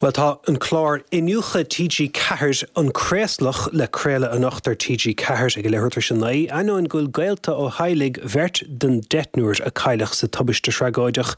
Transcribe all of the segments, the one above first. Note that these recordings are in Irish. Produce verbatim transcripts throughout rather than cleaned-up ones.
Well tá an clár Iniúchadh TG Ceathair an Craoslach le craoladh anocht ar TG Ceathair ag leathuair tar éis a naoi, ainneoin go bhfuil gaolta ó theaghlaigh bheirt den deichniúr a cailleadh sa tubaiste thragóideach.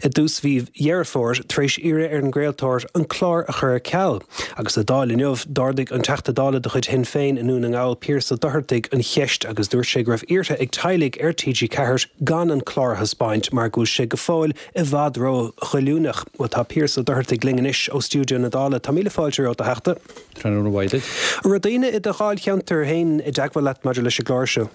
I dtús mhí Dheireadh Fómhair tar éis iarraidh ar an gcraoltóir an clár a chur ar ceal. Agus sa Dáil inniu d'ardaigh an Teachta Dála de chuid Shinn Féin i nDún na nGall Pearse Ó Dochartaigh an cheist agus dúirt sé go raibh iarrtha ag teaghlaigh ar TG Ceathair gan an clár a thaispeáint mar go bhfuil sé go fóill i bhfad ró-ghoilliúnach. Well tá Pearse Ó Dochartaigh linn anois ó stiúideo na Dála Tá míle fáilte romhat a Theachta. Tráthnóna mhaith duit. An raibh daoine i do dháilcheantar féin i dteagmháil leat maidir leis an gclár seo.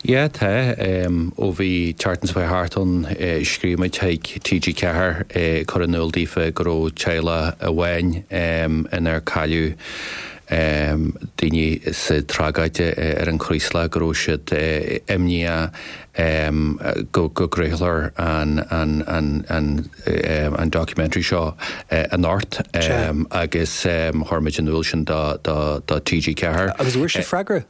Yeah tá ó bhí tseachtain seo thart ann scríobh muid chuig TG Ceathair cur in iúl daofa go raibh teaghlach amháin inar cailleadh daoine sa tragóid ar an Chraoslach go raibh siad imníoch go go gcraolfar an an an an an documentary seo anocht agus chuir muid in iúl sin do do do TG Ceathair. Agus bhfuair sibh freagra?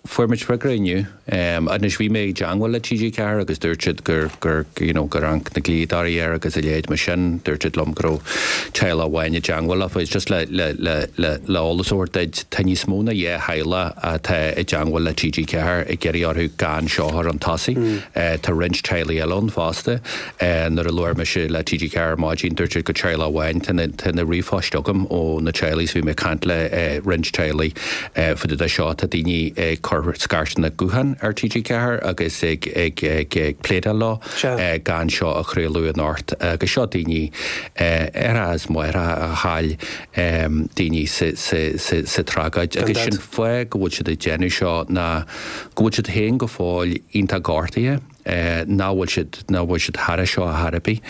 Fuair muid freagra inniu. Anois bhí mé ag teagmháil le TG Ceathair agus dúirt siad gur gur you know gur amharc na dlíodóirí air agus a leithéid mar sin dúirt siad liom go raibh teaghlach amháin i dteagmháil leofa. It's just le le le le le eolas a thabhairt duit tá níos mó ná dhá theaghlach atá i dteagmháil le TG Ceathair ag iarraidh orthu gan seo a chur chun tosaigh. Tá roinnt teaghlaigh eile ann fosta. Nuair a labhair mise le TG Ceathair ar maidin dúirt siad go teaghlach amháin tá na tá na ríomhphoist agam ó na teaghlaigh so bhí mé ag caint le roinnt teaghlaigh faoi de seo tá daoine ag cur scairteanna gutháin ar TG Ceathair agus ag ag ag ag pléadáil leo gan seo a chraoladh anocht agus seo daoine ar as máithreacha a chaill daoine sa sa sa sa tragóid agus sin fáth go bhfuil siad ag déanamh seo ná go bhfuil siad féin go fóill iontach gortaithe nach bhfuil siad nach bhfuil siad thar seo a chor ar bith.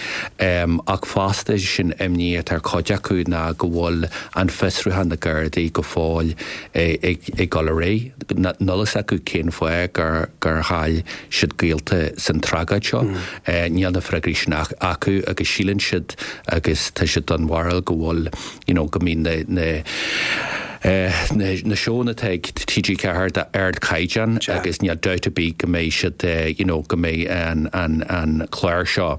Ach fosta sin imní atá ar chuid acu ná go bhfuil an fiosrúchán na Gardaí go fóill ag ag dul ar aghaidh. Níl a fhios acu cén fáth gur gur chaill siad gaolta san tragóid seo. Níl na freagraí sin acu agus síleann siad agus tá siad den bharúil go bhfuil you know, go mbíonn na na na na seónna atá ag TG Ceathair d'ardchaighdeán agus níl dabht ar bith go mbeidh siad you know, go mbeidh an, an, an clár seo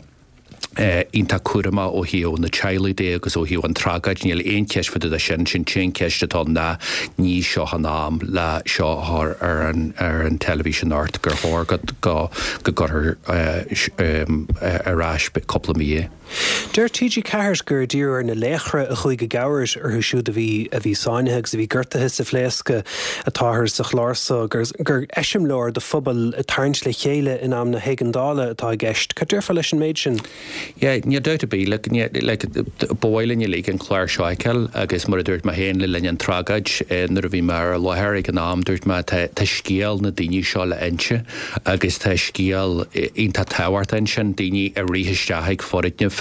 iontach cúramach ó thaobh na teaghlaigh de agus ó thaobh an tragóid níl aon cheist faoi de sin sin an cheist atá ná ní seo an am le seo a chur ar an ar an teilifís anocht gur chóir go go go gcuirfear ar ais cúpla mí é. Deir TG Ceathair gur díriú ar na laochra a chuaigh i gcabhair orthu siúd a bhí a bhí sáinnithe agus a bhí gortaithe sa phléascadh atáthar sa chlár so gur gur eiseamláir do phobal ag tarraingt le chéile in am na héigeandála atá i gceist. Cad déarfá leis an méid sin? Yeah, níl dabht ar bith like, like, ba mhaith linn uilig an clár seo a fheiceáil agus mar a dúirt mé féin le linn an tragóid nuair a bhí mé ar láthair ag an am dúirt mé tá tá scéal na daoine seo le inse agus tá scéal iontach tábhachtach ansin daoine a rith isteach ag foirgneamh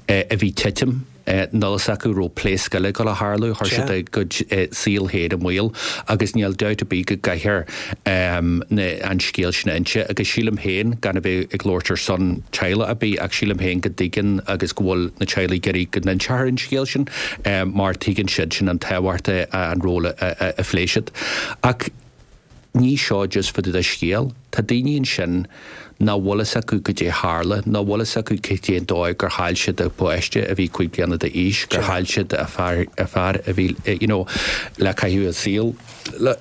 a bhí titim níl a fhios acu raibh pléasc eile ag dul a tharlú chuir siad a gcuid saol féin i mbaol agus níl dabht ar bith go gcaithfear an scéal sin a inse agus sílim féin gan a bheith ag labhairt ar son teaghlach ar bith ach sílim féin go dtuigeann agus go bhfuil na teaghlaigh ag iarraidh go n-inseofar an scéal sin mar tuigeann siad sin an tábhacht an ról a phléigh siad. Ach ní seo just fá dtaobh de scéal, tá daoine ansin nach bhfuil fhios acu goidé tharla, nach bhfuil fhios acu cad é an dóigh gur chaill siad a bpáiste a bhí cúig bliana d'aois, gur chaill siad a fear a fear a bhí you know le caitheamh a saol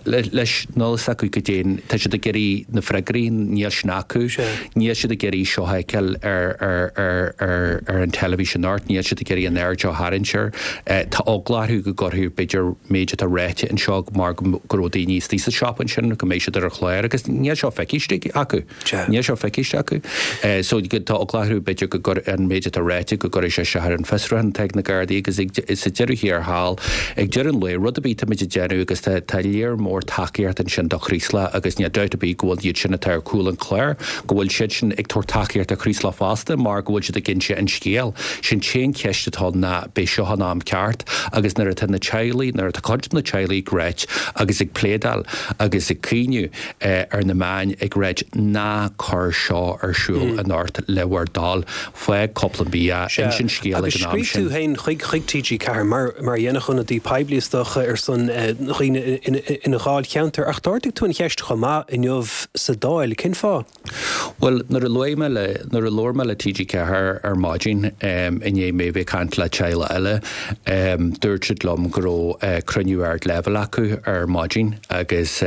leis, níl fhios acu goidé tá siad ag iarraidh na freagraí, níl sin acu, níl siad ag iarraidh seo a fheiceáil ar ar ar ar ar an teilifís anocht, níl siad ag iarraidh an aird seo a tharraingt air. Tá eagla orthu go gcuirfear b'fhéidir méid atá ráite anseo mar go raibh daoine istigh sa siopa ansin go mbeidh siad ar an chlár agus níl seo feicthe acu. Níl seo feicthe acu. So tá eagla orthu b'fhéidir go gcuir an méid atá ráite go gcuirfidh sé isteach ar an bhfiosrúchán atá ag na Gardaí agus ag sa deireadh thiar thall ag deireadh an lae rud ar bith táimid ag déanamh agus tá tá léir mór tacaíocht ansin do Chraoslach agus níl dabht ar bith go bhfuil iad sin atá ar chúl an chláir go bhfuil siad sin ag tabhairt tacaíocht do Chraoslach fosta mar go bhfuil siad ag inse an scéal. Sin t-aon cheist atá ná b'é seo an am ceart agus nuair atá na teaghlaigh nuair atá cuid de na teaghlaigh ag ráit agus ag pléadáil agus ag caoineadh ar na meáin ag ag ráit ná cuir seo ar siúl anocht le bhur dtoil, fág cúpla mí é, inis an scéal ag Agus an am scríobh tú sin. féin chuig chuig T G Ceathair mar mar a dhéanfadh ionadaí poiblí is dócha ar son dhaoine ina dháilcheantar, ach d'ardaigh tú an cheist chomh maith inniu sa Dáil, cén fáth? Bhuel, nuair a luaigh mé le nuair a labhair mé le T G Ceathair ar maidin i ndiaidh mé bheith ag caint le teaghlach eile, dúirt siad liom go raibh cruinniú ardleibhéil acu ar maidin agus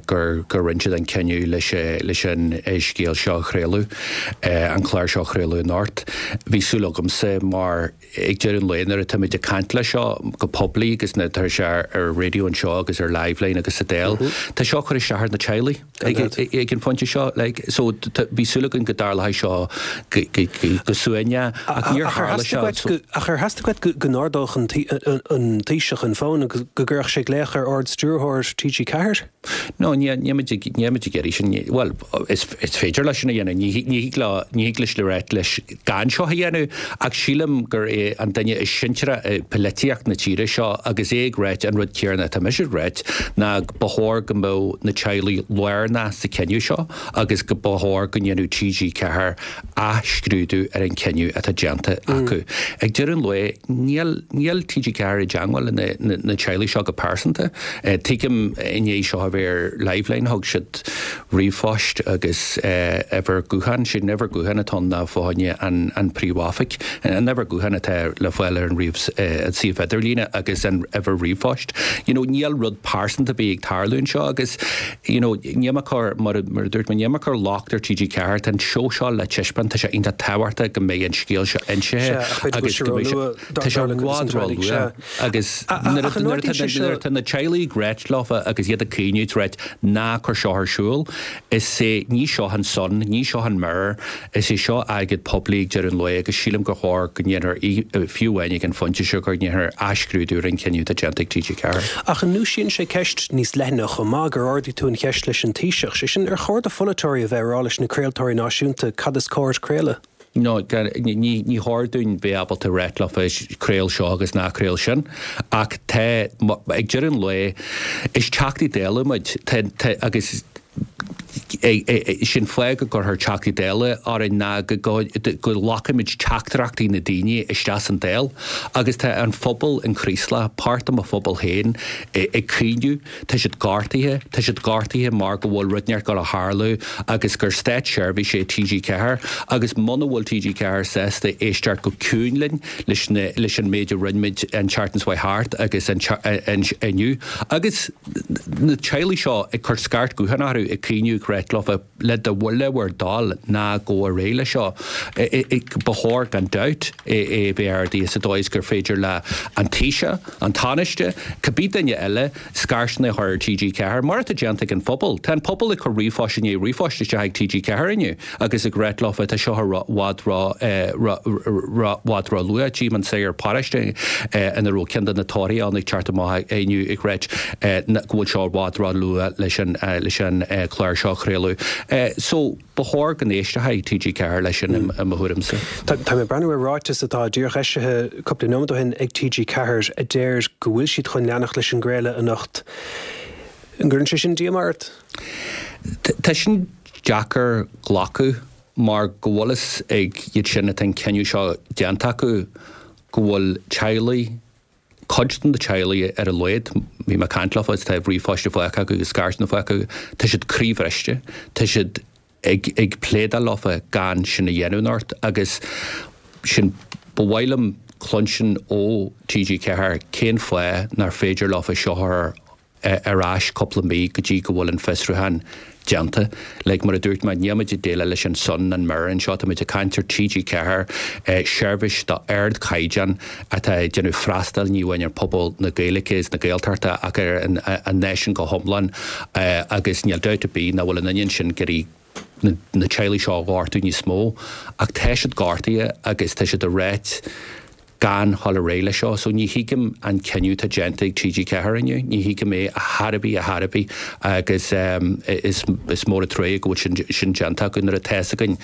gur gur rinne siad an cinneadh leis leis an scéal seo a chraoladh, an clár seo a chraoladh anocht. Bhí súil agamsa mar ag deireadh an lae nuair atáimid ag caint leis seo go poiblí agus na tá sé ar raidió anseo agus ar Liveline agus sa Dáil, tá seo ag cur isteach ar na teaghlaigh ag an phointe seo, like, so bhí súil againn go dtarlódh seo go suaimhneach ach níor tharla seo. Ach ar theastaigh uait go n-ardódh an Taoiseach an fón agus go gcuirfeadh sé glaoch ar Ard-Stiúrthóir T G Ceathair? No, ní ag iarraidh sin, well, is féidir leis sin a dhéanamh, ní ní leis le rá leis gan seo a dhéanamh, ach sílim gur é an duine is sinsearaí i polaitíocht na tíre seo agus é ag rá an rud céanna atá mise ag rá ná ba chóir go mbeadh na teaghlaigh lárnach sa cinneadh seo agus go ba chóir go ndéanfadh T G Ceathair athscrúdú ar an cinneadh atá déanta acu. Ag deireadh an lae níl níl T G Ceathair i dteagmháil na, na, na teaghlaigh seo go pearsanta. Uh, Tuigim inné seo a bheith ar Liveline thug siad ríomhphost agus uimhir gutháin, sin uimhir gutháin atá ná fáinne an, an príomhoifig. An uimhir gutháin atá le fáil ar an ríomh uh, an suíomh idirlíne agus an uimhir ríomhphost. You know, níl rud pearsanta bí ag tarlú anseo agus you know, níl cur mar mar dúirt mé níl cur locht ar T G Ceathair an seó seo le taispeáint, tá sé iontach tábhachtach go mbeidh an scéal seo insithe agus go mbeidh sé- tá sé i bhfad róluath agus nuair atá na teaghlaigh ag ráit leofa agus iad ag caoineadh ráit ná cuir seo ar siúl, is é ní seo an Sun, ní seo an Mirror, is é seo airgead poiblí ag deireadh an lae agus sílim gur chóir go ndéanfar fiú amháin ag an phointe seo gur ndéanfar athscrúdú ar an cinneadh atá déanta ag T G Ceathair. Ach an ndúisíonn sé ceist níos leithne chomh maith gur ardaigh tú an cheist leis an Taoiseach, sé sin ar chóir do pholaiteoirí a bheith ag rá leis na craoltóirí náisiúnta cad is cóir craoladh? No, ní ní chóir dúinn bheith ábalta rá leofa craol seo agus ná craol sin, ach tá ag deireadh an lae is Teachtaí Dála muid agus sin fáth go gcuirtear Teachtaí Dála orainn ná go nglacaimid teachtaireachtaí na daoine isteach san Dáil, agus tá an phobal in Creaslach, páirt de mo phobal féin ag caoineadh, tá siad gortaithe, tá siad gortaithe mar go bhfuil rud inteacht ag tarlú agus gur státseirbhís é T G Ceathair agus muna bhfuil T G Ceathair sásta éisteacht go ciúin linn leis leis an méid a rinne muid an tseachtain seo thart agus inniu. Agus na teaghlaigh seo ag cur scairt gutháin orthu ag caoineadh ag rá leofa le do le bhur dtoil ná gabh ar aghaidh le seo. Ba chóir gan dabht é bheith ardaithe sa dóigh gur féidir le an Taoiseach, an Tánaiste, cibé duine eile scairteanna a chur ar T G Ceathair, mar atá déanta ag an phobal. Tá an pobal ag cur ríomhphoist inné ríomhphoist isteach ag T G Ceathair inniu agus ag rá leofa tá seo i bhfad bhfad róluath tchím an saor paráiste ina raibh ceann de na torthaí ann ag teacht amach inniu ag rá go bhfuil seo i bhfad róluath leis an leis an chlár seo a chraoladh. So ba chóir go n-éistfeadh T G Ceathair leis sin i mo thuairimse. Tá mé ag breathnú ar ráiteas atá díreach eisithe cúpla nóiméad ó shin ag T G Ceathair a deir go bhfuil siad chun leanacht leis an gcraoladh anocht. An gcuireann sé sin díomá ort? Tá sin deacair glacadh mar go bhfuil fhios ag iad sin atá an cinneadh seo déanta acu go bhfuil teaghlaigh cuid de na teaghlaigh ar a laghad, bhí mé ag caint leofa tá ríomhphoist faighte acu agus scairteanna faighte acu, tá siad croíbhriste, tá siad ag ag pléadáil leofa gan sin a dhéanamh anocht agus sin ba mhaith liom cluinstin ó T G Ceathair cén fáth nár féidir leofa seo ar ar ais cúpla mí go dtí go bhfuil an fiosrúchán déanta. Like mar a dúirt mé nílimid ag déileáil leis an Sun an Mirror anseo táimid ag caint ar T G Ceathair seirbhís d'ardchaighdeán atá ag déanamh freastal ní amháin ar pobal na Gaeilge is na Gaeltachta ach ar an, an náisiún go hiomlán agus níl dabht ar bith nach bhfuil an intinn sin gur na, na teaghlaigh seo a ghortú níos mó ach tá siad gortaithe agus tá siad ag rá gan dul ar aghaidh leis seo, so ní thuigim an cinneadh atá déanta ag T G Ceathair inniu, ní thuigim é a chor ar bith a chor ar bith agus um, is, is mór an trua go bhfuil sin, sin déanta acu nuair atá againn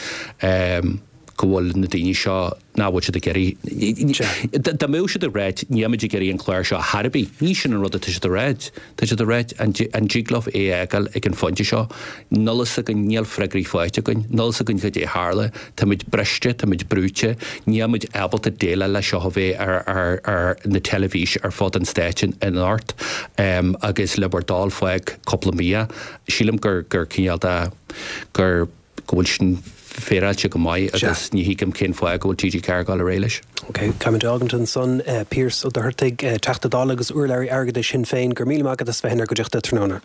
um, go bhfuil na daoine seo nach bhfuil siad ag iarraidh dá mbeadh siad ag ráit nílimid ag iarraidh an clár seo ar chor ar bith ní sin an rud atá siad ag ráit tá siad ag ráit an dtig libh é a fhágáil ag an phointe seo níl a fhios againn níl freagraí faighte againn níl a fhios againn cad é a tharla táimid briste táimid brúite nílimid ábalta déileáil le seo a bheith ar ar ar na teilifís ar fud an stáit anocht um, agus le bhur dtoil fág cúpla mí sílim gur gur cineál de gur go bhfuil sin féaráilte go maith agus ní thuigim cén fáth go bhfuil TG ceathair ag dul ar aghaidh leis. Ok, Caimid Ágantan son uh, Pearse Ó Dochartaigh uh, Teachta Dála agus urlabhraí airgeadais Shinn Féin go raibh míle maith agat as bheith inár gcuideachta tráthnóna.